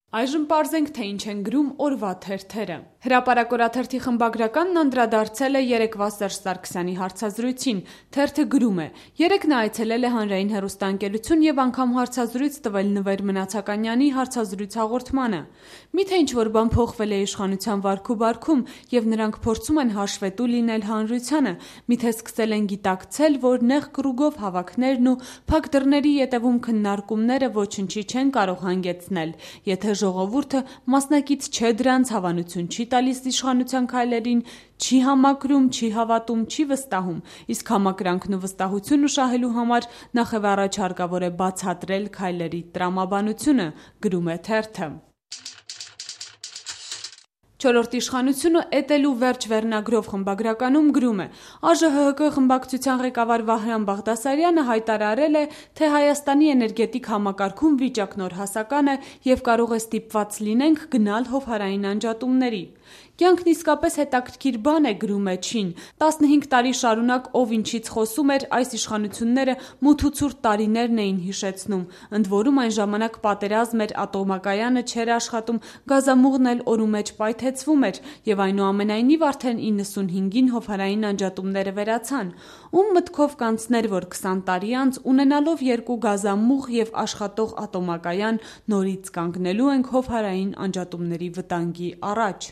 Այժմ պարզենք, թե ինչ են գրում օրվա թերթերը։ Հրապարակ-օրաթերթի խմբագրականն անդրադարձել է երեկվա Սերժ Սարգսյանի հարցազրույցին։ Թերթը գրում է. երեկ նա այցելել է հանրային հեռուստաընկերություն եւ անգամ հարցազրույց տվել Նվեր Մնացականյանի հարցազրույց հաղորդմանը։ Միթե ինչ-որ բան փոխվել է իշխանության վարքու-բարքում եւ նրանք փորձում են հաշվետու լինել հանրությանը, միթե սկսել են գիտակցել, որ նեղ կրուգով հավաքներն ու փակ դռների ետևում քննարկումները ոչնչի չեն կարող հանգեցնել, եթե ժողովուրդը մասնակից չէ դրանց, հավանություն չի տալիս իշխանության քայլերին, չի համակրում, չի հավատում, չի վստահում, իսկ համակրանքն ու վստահությունը շահելու համար նախևառաջ հարկավոր է բացատրել քայլերի տրամաբանությունը, գրում է թերթը։ Չորրորդ իշխանությունը «Էտելու վերջ» վերնագրով խմբագրականում գրում է. ԱԺՀԿ խմբակցության ղեկավար Վահրամ Բաղդասարյանը հայտարարել է, թե Հայաստանի էներգետիկ համակարգում վիճակն օրհասական է եւ կարող է ստիպված լինենք գնալ հովհարային անջատումների։ Կյանքն իսկապես հետաքրքիր բան է, գրում է Չին։ 15 տարի շարունակ ով ինչից խոսում էր, այս իշխանությունները մութ ու ցուրտ տարիներն էին հիշեցնում, ընդ որում այն ժամանակ պատերազմ էր, ատոմակայանը չէր աշխատում, գազամուղն էլ օրու մեջ պայթեցվում էր եւ այնուամենայնիվ արդեն 95-ին հովհարային անջատումները վերացան։ Ում մտքով կանցներ, որ 20 տարի անց ունենալով 2 գազամուղ եւ աշխատող ատոմակայան նորից կանգնելու ենք հովհարային անջատումների վտանգի առաջ։